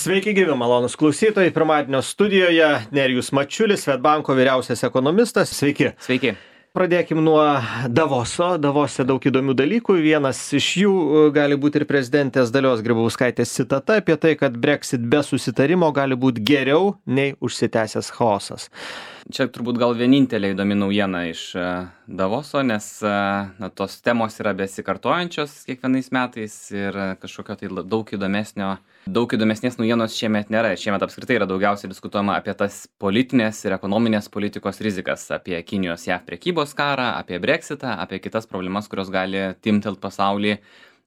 Sveiki gyvi, malonus klausytojai. Pirmadienio studijoje Nerijus Mačiulis, Swedbanko vyriausias ekonomistas. Sveiki. Sveiki. Pradėkim nuo Davoso. Davose daug įdomių dalykų. Vienas iš jų gali būti ir prezidentės Dalios Grybauskaitės citata apie tai, kad Brexit be susitarimo gali būti geriau nei užsitęsęs chaosas. Čia turbūt gal vienintelė įdomi naujiena iš Davoso, nes tos temos yra besikartojančios kiekvienais metais ir kažkokio tai daug įdomesnės naujienos šiemet nėra. Šiemet apskritai yra daugiausiai diskutuojama apie tas politinės ir ekonominės politikos rizikas, apie Kinijos JAV prekybos karą, apie Brexitą, apie kitas problemas, kurios gali timtelt pasaulį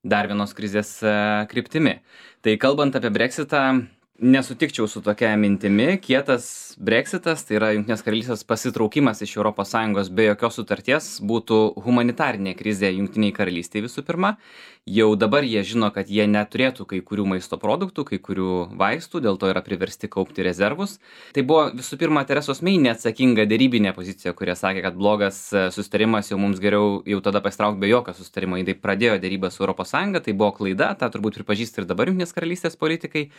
dar vienos krizės kryptimi. Tai kalbant apie Brexitą, nesutikčiau su tokia mintimi. Kietas Brexitas, tai yra Jungtinės karalystės pasitraukimas iš ES be jokios sutarties, būtų humanitarinė krizė Jungtiniai karalystėje visų pirma. Jau dabar jie žino, kad jie neturėtų kai kurių maisto produktų, kai kurių vaistų, dėl to yra priversti kaupti rezervus. Tai buvo visų pirma Teresos Mei neatsakinga derybinė pozicija, kurie sakė, kad blogas susitarimas, jau mums geriau jau tada pasitraukti be jokio susitarimo. Jie pradėjo derybą su ES, tai buvo klaida, tą turbūt pripažįsta ir dabar Jungtinės karalystės politikai,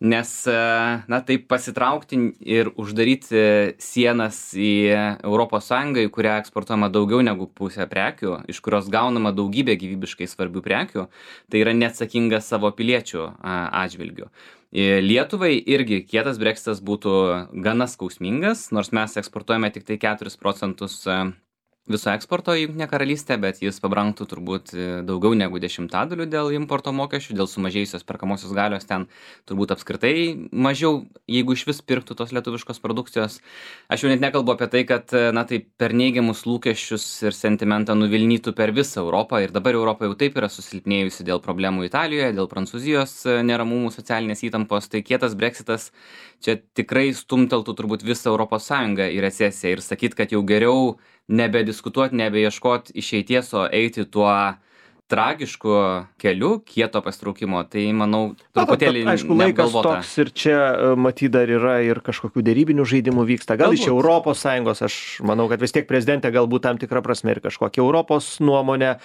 nes taip pasitraukti ir uždaryti sienas į ES, į kurią eksportuojama daugiau negu pusė prekių, iš kurios gaunama daugybė gyvybiškai svarbių prekių, tai yra neatsakingas savo piliečių atžvilgių. Lietuvai irgi kietas Brexitas būtų gana skausmingas, nors mes eksportuojame tik tai 4% viso eksporto į Jungtinę karalystę, bet jis pabrangtų turbūt daugiau negu 10% dėl importo mokesčių, dėl sumažėjusios perkamosios galios ten turbūt apskritai mažiau, jeigu iš vis pirktų tos lietuviškos produkcijos. Aš jau net nekalbu apie tai, kad tai per neigiamus lūkesčius ir sentimentą nuvilnytų per visą Europą, ir dabar Europa jau taip yra susilpnėjusi dėl problemų Italijoje, dėl Prancūzijos neramumų, socialinės įtampos, tai kietas Brexitas čia tikrai stumteltų turbūt visą ES į recesiją ir sakyt, kad jau geriau nebediskutuoti, nebeieškoti išeities, o eiti tuo tragišku keliu kieto pasitraukimo, tai manau truputėlį aišku, laikas toks ir čia matyt dar yra ir kažkokių derybinių žaidimų vyksta. Gal iš ES, aš manau, kad vis tiek prezidentė galbūt tam tikrą prasme ir kažkokią Europos nuomonę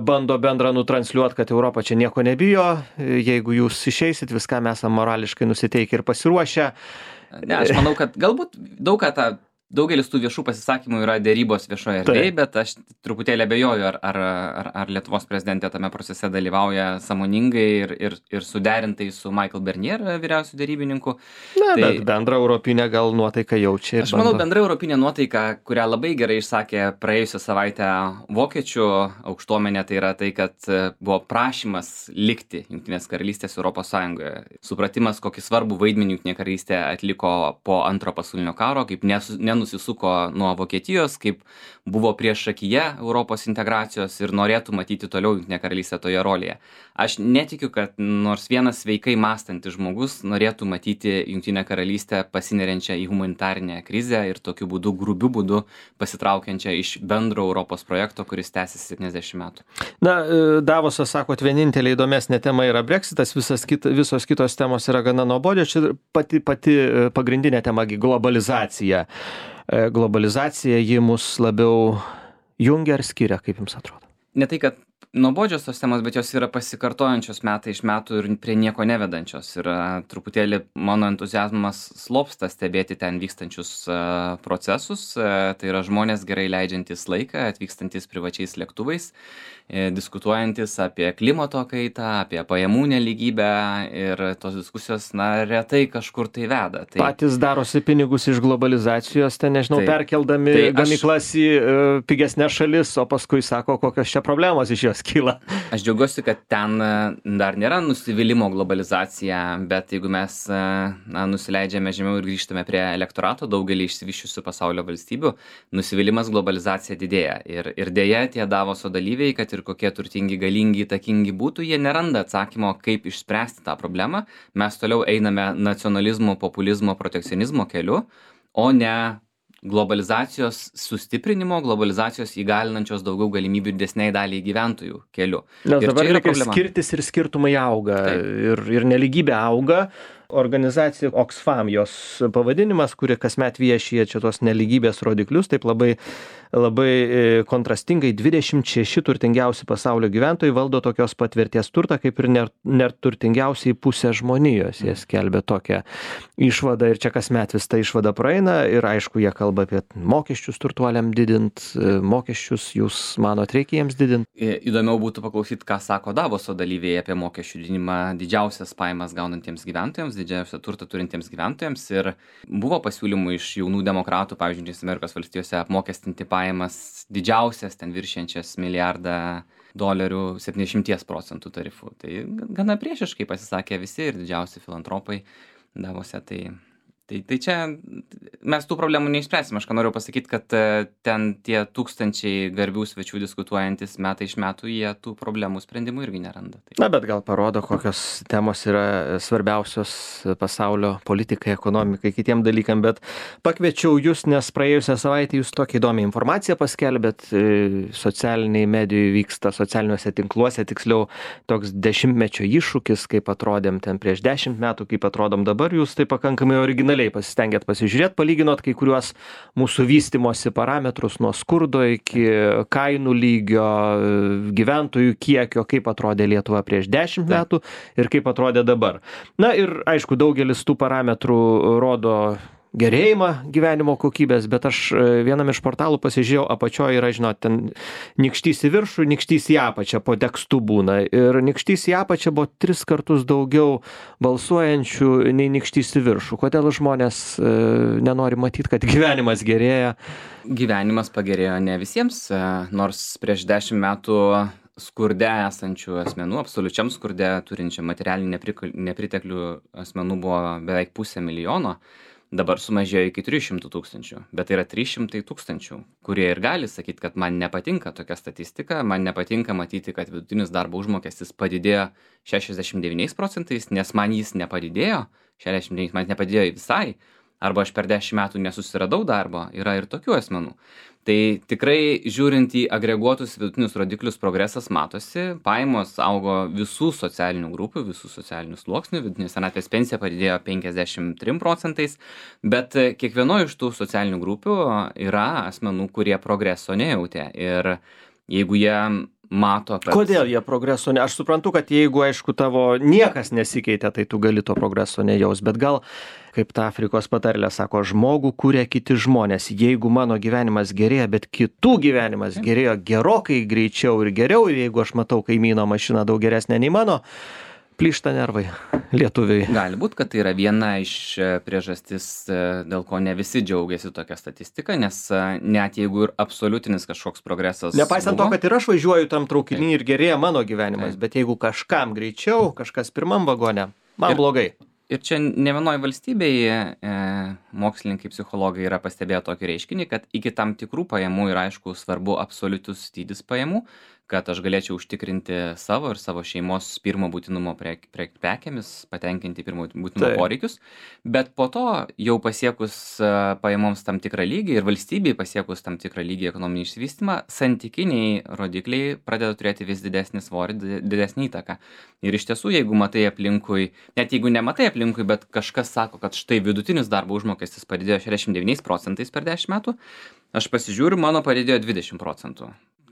bando bendrą nutransliuoti, kad Europa čia nieko nebijo, jeigu jūs išeisit, viską mes morališkai nusiteikę ir pasiruošę. Ne, aš manau, kad galbūt daugelis tų viešų pasisakymų yra derybos viešoje erdvėje, bet aš truputėlį abejoju, ar Lietuvos prezidentė tame procese dalyvauja sąmoningai ir suderintai su Michael Barnier, vyriausiu derybininku. Bet bendra europinė gal nuotaika jaučia. Aš manau, bendra europinė nuotaika, kurią labai gerai išsakė praėjusią savaitę vokiečių aukštuomenė, tai yra tai, kad buvo prašymas likti Jungtinės karalystės ES. Supratimas, kokį svarbų vaidmenį Jungtinė karalystė atliko po Antro pasaulinio karo, kaip nusisuko nuo Vokietijos, kaip buvo priešakyje Europos integracijos ir norėtų matyti toliau Jungtinę karalystę toje rolėje. Aš netikiu, kad nors vienas sveikai mąstantis žmogus norėtų matyti Jungtinę karalystę pasineriančią į humanitarinę krizę ir tokiu būdu, grubiu būdu pasitraukiančią iš bendro Europos projekto, kuris tęsiasi 70 metų. Davosas, sakot, vienintelė įdomesnė tema yra Brexitas, visos kitos temos yra gana nuobodžios. Čia pati pagrindinė tema globalizacija. Globalizacija, ji mus labiau jungia ar skiria, kaip jums atrodo? Ne tai, kad nuobodžios tos temos, bet jos yra pasikartojančios metai iš metų ir prie nieko nevedančios. Ir truputėlį mano entuziazmas slopsta stebėti ten vykstančius procesus. Tai yra žmonės gerai leidžiantys laiką, atvykstantis privačiais lėktuvais, diskutuojantis apie klimato kaitą, apie pajamų nelygybę, ir tos diskusijos, retai kažkur tai veda. Patys darosi pinigus iš globalizacijos, perkeldami gamyklas į pigesnės šalis, o paskui sako, kokios čia problemos iš jos kyla. Aš džiaugiuosi, kad ten dar nėra nusivylimo globalizacija, bet jeigu mes nusileidžiame žemiau ir grįžtame prie elektorato, daugelį išsivysčiusių pasaulio valstybių, nusivylimas globalizacija didėja. Ir dėja, tie Davoso dalyviai, kad ir kokie turtingi, galingi, įtakingi būtų, jie neranda atsakymo, kaip išspręsti tą problemą. Mes toliau einame nacionalizmo, populizmo, protekcionizmo keliu, o ne globalizacijos sustiprinimo, globalizacijos įgalinančios daugiau galimybių didesniai daliai gyventojų keliu. Nes dabar skirtis ir skirtumai auga, ir nelygybė auga. Organizacija Oxfam, jos pavadinimas, kuri kasmet viešija čia tos nelygybės rodiklius, taip labai kontrastingai 26 turtingiausi pasaulio gyventojai valdo tokios pat vertės turtą, kaip ir neturtingiausiai pusė žmonijos. Jie skelbia tokią išvadą ir čia kasmet vis ta išvada praeina ir aišku, jie kalba apie mokesčius turtuoliam didint, mokesčius jūs manot reikia jiems didint? Įdomiau būtų paklausyti, ką sako Davoso dalyviai apie mokesčių didinimą didžiausias pajamas gaunantiems gyventojams, didžiausią turtą turintiems gyventojams ir buvo pasiūlymų iš jaunų demokratų, pavyzdžiui, Jungtinėse Amerikos valstijose apmokestinti pajamas didžiausias, ten viršiančias $1 milijardą 70% tarifų. Tai gana priešiškai pasisakė visi ir didžiausi filantropai Davose. Tai čia mes tų problemų neišspręsim. Aš ką noriu pasakyti, kad ten tie tūkstančiai garbių svečių diskutuojantis metai iš metų, jie tų problemų sprendimų irgi neranda. Na, bet gal parodo, kokios temos yra svarbiausios pasaulio politikai, ekonomikai, kitiem dalykam, bet pakviečiau jūs, nes praėjusią savaitę jūs tokią įdomią informaciją paskelbėt, socialiniai medijai vyksta, socialiniuose tinkluose, tiksliau toks 10-mečio iššūkis, kaip atrodėm ten prieš 10 metų, kaip atrodom dabar, jūs tai pakankamai originaliai pasistengėt pasižiūrėt, palyginot kai kuriuos mūsų vystymosi parametrus nuo skurdo iki kainų lygio, gyventojų kiekio, kaip atrodė Lietuva prieš 10 metų ir kaip atrodė dabar. Na ir aišku, daugelis tų parametrų rodo gerėjimą gyvenimo kokybės, bet aš vienam iš portalų pasižiūrėjau, apačioje yra, žinot, ten nykštys į viršų, nykštys į apačią po tekstu būna. Ir nykštys į apačią buvo 3 kartus daugiau balsuojančių nei nykštys į viršų. Kodėl žmonės nenori matyti, kad gyvenimas gerėja? Gyvenimas pagerėjo ne visiems, nors prieš 10 metų skurde esančių asmenų, absoliučiam skurde turinčių materialinį nepriteklių asmenų buvo beveik 500 000. Dabar sumažėjo iki 300 000, bet tai yra 300 000, kurie ir gali sakyti, kad man nepatinka tokia statistika, man nepatinka matyti, kad vidutinis darbo užmokestis padidėjo 69%, nes man jis nepadidėjo, 69% man nepadidėjo visai, arba aš per 10 metų nesusiradau darbo, yra ir tokių asmenų. Tai tikrai žiūrint į agreguotus vidutinius rodiklius progresas matosi, pajamos augo visų socialinių grupių, visų socialinių sluoksnių, vidutinė senatvės pensija padidėjo 53%, bet kiekvienoje iš tų socialinių grupių yra asmenų, kurie progreso nejautė ir jeigu jie mato, kad... Kodėl jie progreso ne? Aš suprantu, kad jeigu, aišku, tavo niekas nesikeitė, tai tu gali to progreso nejaus, bet gal, kaip ta Afrikos patarlė sako, žmogų kuria kiti žmonės. Jeigu mano gyvenimas gerėja, bet kitų gyvenimas gerėjo gerokai greičiau ir geriau, ir jeigu aš matau kaimyno mašiną daug geresnę nei mano, plyšta nervai lietuviai. Gali būt, kad tai yra viena iš priežastis, dėl ko ne visi džiaugiasi tokia statistika, nes net jeigu ir absoliutinis kažkoks progresas... Nepaisant to, kad ir aš važiuoju tam traukinį ir gerėja mano gyvenimas, bet jeigu kažkam greičiau, kažkas pirmam vagone, man blogai. Ir čia ne vienoje valstybėje mokslininkai, psichologai yra pastebėję tokį reiškinį, kad iki tam tikrų pajamų yra aišku svarbu absoliutus dydis pajamų, kad aš galėčiau užtikrinti savo ir savo šeimos pirmo būtinumo prekėmis, patenkinti pirmo būtinumo poreikius, bet po to jau pasiekus pajamoms tam tikrą lygį ir valstybei pasiekus tam tikrą lygį ekonominį išsivystymą, santykiniai rodikliai pradeda turėti vis didesnį svorį, didesnį įtaką. Ir iš tiesų, jeigu matai aplinkui, net jeigu nematai aplinkui, bet kažkas sako, kad štai vidutinis darbo užmokestis padidėjo 69% per 10 metų, aš pasižiūriu, mano padidėjo 20%.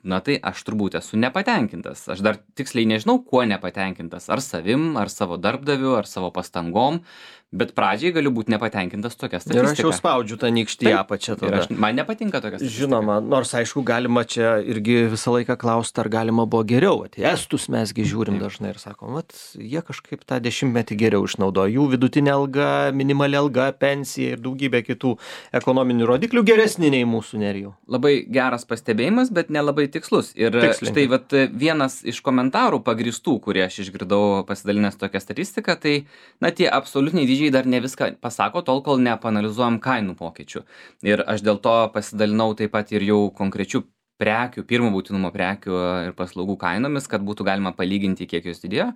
Na tai aš turbūt esu nepatenkintas. Aš dar tiksliai nežinau, kuo nepatenkintas. Ar savim, ar savo darbdaviu, ar savo pastangom. Bet pradžiai galiu būti nepatenkintas tokia statistika. Ir aš jau spaudžiu tą nykštį apačią tada. Man nepatinka tokia statistika. Žinoma, nors aišku, galima čia irgi visą laiką klausti, ar galima buvo geriau. Estus mesgi žiūrim dažnai ir sakom, jie kažkaip tą 10-metį geriau išnaudojo. Jų vidutinė alga, minimali alga, pensija ir daugybė kitų ekonominių rodiklių geresni nei mūsų, Nerijau. Labai geras pastebėjimas, bet nelabai tikslus. Ir štai vienas iš komentarų pagristų, kurie aš išgirdau pasidalinęs tokią statistiką, tai tie absoliutiniai dydžiai dar ne viską pasako, tol kol nepanalizuojam kainų pokyčių. Ir aš dėl to pasidalinau taip pat ir jau konkrečių prekių, pirmo būtinumo prekių ir paslaugų kainomis, kad būtų galima palyginti, kiek jos didėjo,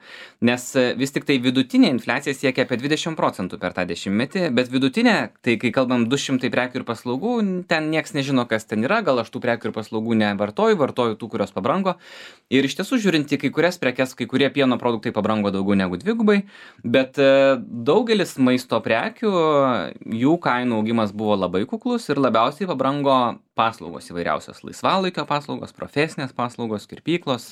nes vis tik tai vidutinė infliacija siekia apie 20% per tą dešimtmetį, bet vidutinė, tai kai kalbam 200 prekių ir paslaugų, ten nieks nežino, kas ten yra, gal aš tų prekių ir paslaugų vartoju tų, kurios pabrango. Ir iš tiesų žiūrint į kai kurias prekes, kai kurie pieno produktai pabrango daugiau negu dvigubai, bet daugelis maisto prekių, jų kainų augimas buvo labai kuklus ir labiausiai pabrango paslaugos įvairiausios, laisvalaikio paslaugos, profesinės paslaugos, kirpyklos,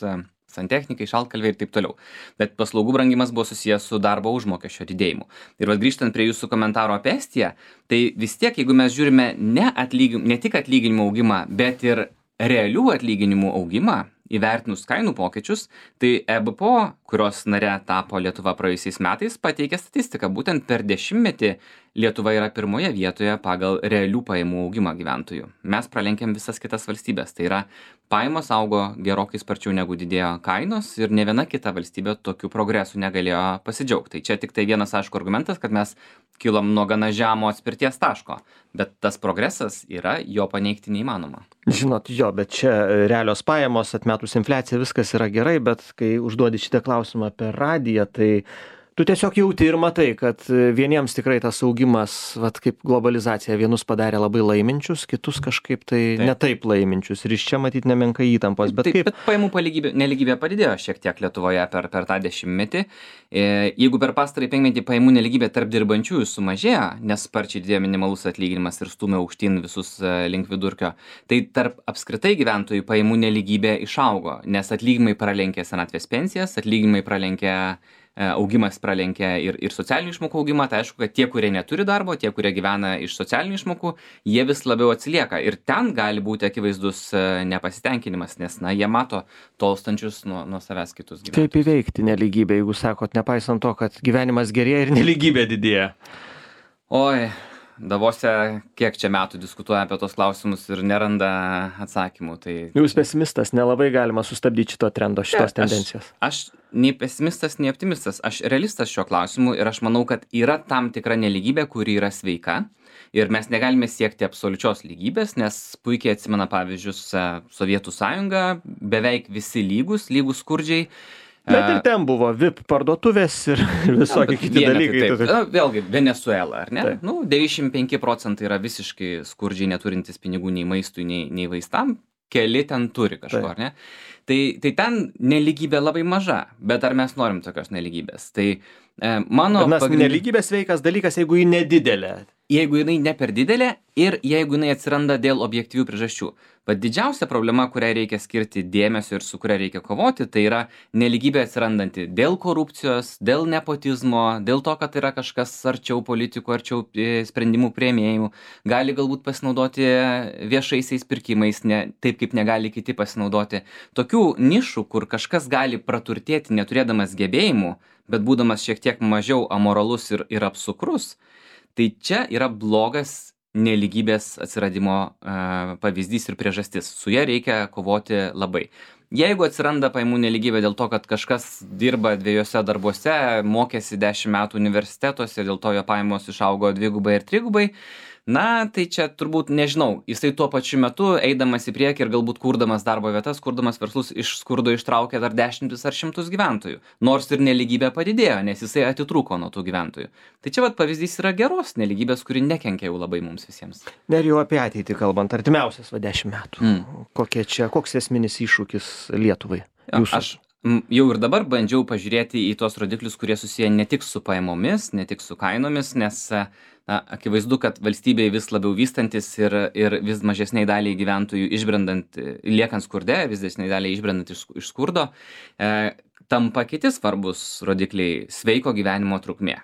santechnikai, šaltkalviai ir taip toliau. Bet paslaugų brangimas buvo susijęs su darbo užmokesčio didėjimu. Ir grįžtant prie jūsų komentaro apie Estiją, tai vis tiek, jeigu mes žiūrime ne tik atlyginimų augimą, bet ir realių atlyginimų augimą, įvertinus kainų pokyčius, tai EBPO, kurios nare tapo Lietuva praėjusiais metais, pateikė statistiką. Būtent per dešimtmetį Lietuva yra pirmoje vietoje pagal realių pajamų augimą gyventojų. Mes pralenkėm visas kitas valstybės. Tai yra, pajamos augo gerokai sparčiau negu didėjo kainos ir ne viena kita valstybė tokių progresų negalėjo pasidžiaugti. Tai čia tik tai vienas aišku argumentas, kad mes kilom nuo gana žemo atspirties taško. Bet tas progresas yra, jo paneigti neįmanoma. Žinot, bet čia realios pajamos, atmetus infliaciją, viskas yra gerai, bet kai užduodi šitą klausimą per radiją, tai tu tiesiog jauti ir matai, kad vieniems tikrai tas augimas, kaip globalizacija, vienus padarė labai laiminčius, kitus kažkaip tai netaip laiminčius. Ir iš čia matyti nemenka įtampos. Bet pajamų nelygybė padidėjo šiek tiek Lietuvoje per tą dešimtmetį. Jeigu per pastarąjį penkmetį pajamų nelygybė tarp dirbančiųjų sumažėjo, nes sparčiai didėjo minimalus atlyginimas ir stūmė aukštyn visus link vidurkio, tai tarp apskritai gyventojų pajamų nelygybė išaugo, nes atlyginimai pralenkė senatvės pensijas, atlyginimai augimas pralenkė ir socialinių išmokų augimą. Tai aišku, kad tie, kurie neturi darbo, tie, kurie gyvena iš socialinių išmokų, jie vis labiau atsilieka. Ir ten gali būti akivaizdus nepasitenkinimas, nes jie mato tolstančius nuo savęs kitus gyventojus. Kaip įveikti nelygybę, jeigu sakot, nepaisant to, kad gyvenimas gerėja ir nelygybė didėja? Oi, Davose kiek čia metų diskutuoja apie tos klausimus ir neranda atsakymų. Tai jūs pesimistas, nelabai galima sustabdyti šito trendo, šitos tendencijos. Aš nei pesimistas, nei optimistas. Aš realistas šiuo klausimu ir aš manau, kad yra tam tikra nelygybė, kuri yra sveika. Ir mes negalime siekti absoliučios lygybės, nes puikiai atsimena pavyzdžius Sovietų sąjunga, beveik visi lygus skurdžiai. Bet ir ten buvo VIP parduotuvės ir visokie kiti dalykai. Vėlgi, Venezuela, ar ne? 95% yra visiškai skurdžiai neturintis pinigų nei maistui, nei vaistam. Keli ten turi kažko, ar ne? Tai ten nelygybė labai maža, bet ar mes norim tokios nelygybės? Tai nelygybės sveikas dalykas, jeigu ji nedidelė. Jeigu jinai ne per didelė ir jeigu jinai atsiranda dėl objektyvių priežasčių. Bet didžiausia problema, kuriai reikia skirti dėmesio ir su kuria reikia kovoti, tai yra nelygybė atsirandanti dėl korupcijos, dėl nepotizmo, dėl to, kad yra kažkas arčiau politikų, arčiau sprendimų priėmėjų, gali galbūt pasinaudoti viešaisiais pirkimais, taip kaip negali kiti pasinaudoti. Tokių nišų, kur kažkas gali praturtėti neturėdamas gebėjimų, bet būdamas šiek tiek mažiau amoralus ir apsukrus, tai čia yra blogas nelygybės atsiradimo pavyzdys ir priežastis. Su ja reikia kovoti labai. Jeigu atsiranda pajamų nelygybė dėl to, kad kažkas dirba 2 darbuose, mokėsi 10 metų universitetuose, dėl to jo pajamos išaugo 2 ir 3, tai čia turbūt nežinau, jisai tuo pačiu metu eidamas į priekį ir galbūt kurdamas darbo vietas, kurdamas verslus iš skurdo ištraukė dar 10 ar 100 gyventojų. Nors ir nelygybė padidėjo, nes jisai atitrūko nuo tų gyventojų. Tai čia pavyzdys yra geros nelygybės, kuri nekenkia jau labai mums visiems. Ir jau apie ateitį kalbant, artimiausias 10 metų. Koks esminis iššūkis Lietuvai? Aš jau ir dabar bandžiau pažiūrėti į tuos rodiklius, kurie susiję ne tik su pajamomis, ne tik su kainomis, nes akivaizdu, kad valstybėje vis labiau vystantis ir vis mažesniai daliai gyventojų liekant skurde, vis didesniai daliai išbrendant iš skurdo, tampa kiti svarbus rodikliai sveiko gyvenimo trukmė.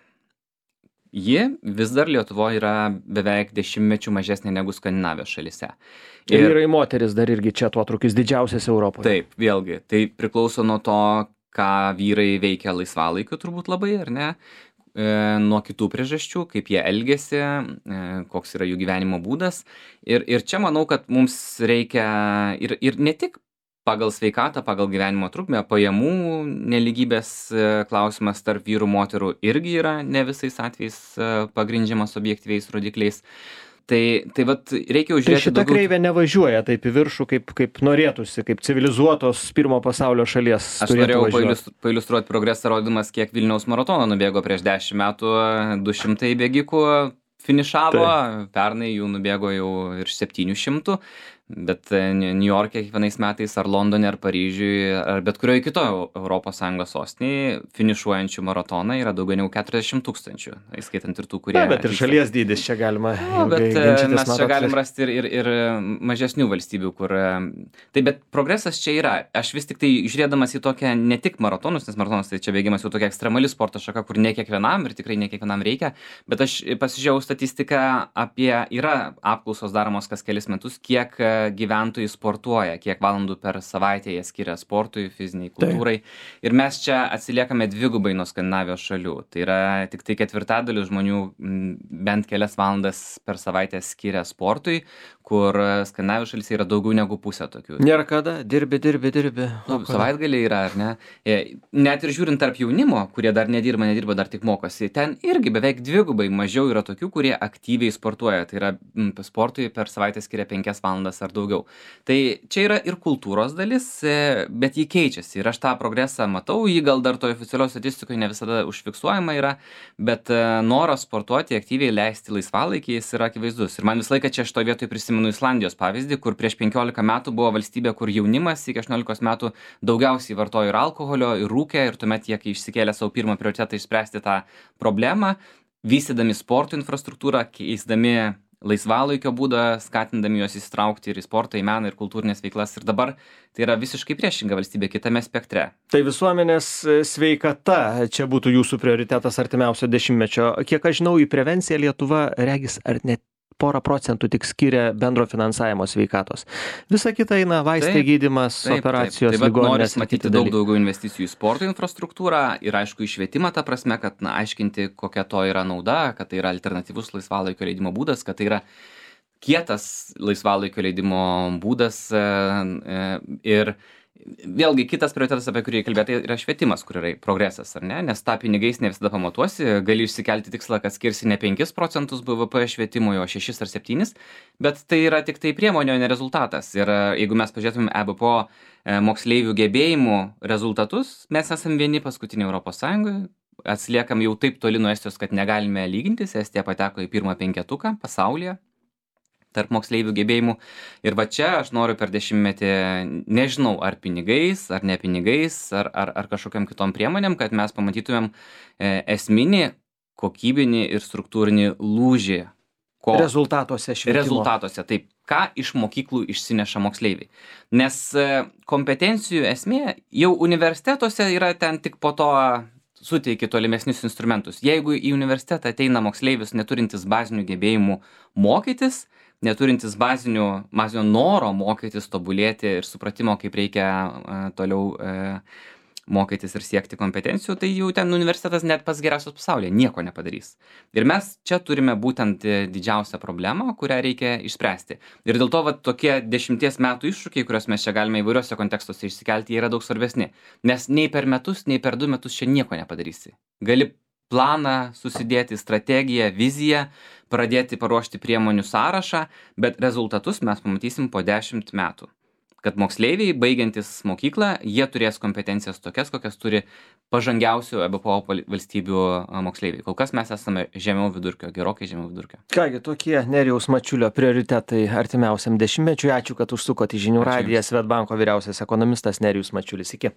Ji vis dar Lietuvoje yra beveik 10 mečių mažesnė negu Skandinavijos šalyse. Ir vyrai moteris dar irgi čia atotrūkis didžiausias Europoje. Taip, vėlgi, tai priklauso nuo to, ką vyrai veikia laisvalaikiu turbūt labai, ar ne? Nuo kitų priežasčių, kaip jie elgiasi, koks yra jų gyvenimo būdas. Ir čia manau, kad mums reikia ir ne tik pagal sveikatą, pagal gyvenimo trukmę, pajamų nelygybės klausimas tarp vyrų moterų irgi yra ne visais atvejais pagrindžiamas objektyviais rodikliais. Tai vat reikia Tai užžiūrėti šita kreivė nevažiuoja taip į viršų, kaip norėtųsi, kaip civilizuotos pirmo pasaulio šalies. Aš norėjau pailiustruoti progresą, rodydamas, kiek Vilniaus maratono nubėgo prieš 10 metų, 200 bėgikų finišavo, pernai jų nubėgo jau virš 700, bet Niujorke kiekvienais metais ar Londone, ar Paryžiui, ar bet kurioje kitoje ES sostinėje finišuojančių maratoną yra daugiau negu 40 000, įskaitant ir tų, kurie... Bet ir šalies dydis čia galima... Bet mes čia galim rasti ir mažesnių valstybių, kur... Tai bet progresas čia yra. Aš vis tik tai žiūrėdamas į tokią ne tik maratonus, nes maratonas tai čia bėgimas jau tokia ekstremali sporto šaka, kur ne kiekvienam ir tikrai ne kiekvienam reikia, bet aš pasižiūrėjau statistiką apie... Yra apklausos daromos kas kelis metus, kiek gyventojai sportuoja, kiek valandų per savaitę jie skiria sportui, fiziniai kultūrai. Ir mes čia atsiliekame dvigubai nuo Skandinavijos šalių. Tai yra tik tai 1/4 žmonių bent kelias valandas per savaitę skiria sportui, kur Skandinavijos šalyse yra daugiau negu pusė tokių. Nėra kada, dirbi. Savaitgaliai yra, ar ne? Net ir žiūrint tarp jaunimo, kurie dar nedirba, dar tik mokosi, ten irgi beveik dvigubai mažiau yra tokių, kurie aktyviai sportuoja. Tai yra sportui per savaitę skiria 5 valandas ar daugiau. Tai čia yra ir kultūros dalis, bet jį keičiasi. Ir aš tą progresą matau, jį gal dar toje oficialios statistikoje ne visada užfiksuojama yra, bet noras sportuoti, aktyviai leisti laisvalaikį, jis yra akivaizdus. Ir man visą laiką čia šitoje vietoje prisimenu Islandijos pavyzdį, kur prieš 15 metų buvo valstybė, kur jaunimas iki 18 metų daugiausiai vartojo ir alkoholio, ir rūkė, ir tuomet jie, kai išsikėlė savo pirmą prioritetą išspręsti tą problemą, vystydami sporto infrastruktūrą, keisdami laisvalaikio būdą, skatindami juos įsitraukti ir į sportą, į meną ir kultūrinės veiklas. Ir dabar tai yra visiškai priešinga valstybė kitame spektre. Tai visuomenės sveikata čia būtų jūsų prioritetas artimiausio dešimtmečio. Kiek aš žinau, į prevenciją Lietuva regis ar net porą procentų tik skiria bendro finansavimo sveikatos. Visa kita eina vaistai, gydymas, operacijos, ligoninės. Noris matyti daug daugiau investicijų į sporto infrastruktūrą ir aišku į švietimą ta prasme, kad aiškinti, kokia to yra nauda, kad tai yra alternatyvus laisvalaikio leidimo būdas, kad tai yra kietas laisvalaikio leidimo būdas ir vėlgi kitas prioritetas, apie kurį kalbėti, yra švietimas, kur yra progresas, ar ne? Nes tą pinigais ne visada pamatuosi, gali išsikelti tikslą, kad skirsi ne 5% BVP švietimui, o 6 ar 7, bet tai yra tik tai priemonė, o ne rezultatas. Ir jeigu mes pažiūrėtumėm EBPO moksleivių gebėjimų rezultatus, mes esam vieni paskutiniai Europos Sąjungoje, atsiliekam jau taip toli nuo Estijos, kad negalime lygintis, Estija pateko į pirmą 5 pasaulyje tarp moksleivių gebėjimų. Ir va čia aš noriu per 10-metį, nežinau, ar pinigais, ar ne pinigais, ar kažkokiam kitom priemonėm, kad mes pamatytumėm esminį, kokybinį ir struktūrinį lūžį. Rezultatuose švietimo. Rezultatuose, taip. Ką iš mokyklų išsineša moksleiviai. Nes kompetencijų esmė jau universitetuose yra ten tik po to suteiki tolimesnius instrumentus. Jeigu į universitetą ateina moksleivis neturintis bazinių gebėjimų mokytis, neturintis bazinio noro mokytis, tobulėti ir supratimo, kaip reikia toliau mokytis ir siekti kompetencijų, tai jau ten universitetas net pats geriausias pasaulyje nieko nepadarys. Ir mes čia turime būtent didžiausią problemą, kurią reikia išspręsti. Ir dėl to tokie 10 metų iššūkiai, kuriuos mes čia galime įvairiuose kontekstuose išsikelti, jie yra daug svarbesni. Nes nei per metus, nei per 2 metus čia nieko nepadarysi. Gali planą susidėti, strategiją, viziją, pradėti paruošti priemonių sąrašą, bet rezultatus mes pamatysim po 10 metų. Kad moksleiviai, baigiantis mokyklą, jie turės kompetencijas tokias, kokias turi pažangiausių EBPO valstybių moksleiviai. Kol kas mes esame žemiau vidurkio, gerokai žemiau vidurkio. Kągi, tokie Nerijaus Mačiulio prioritetai artimiausiam dešimtmečiui. Ačiū, kad užsukote į Žinių radiją. Swedbanko vyriausias ekonomistas Nerijus Mačiulis. Iki.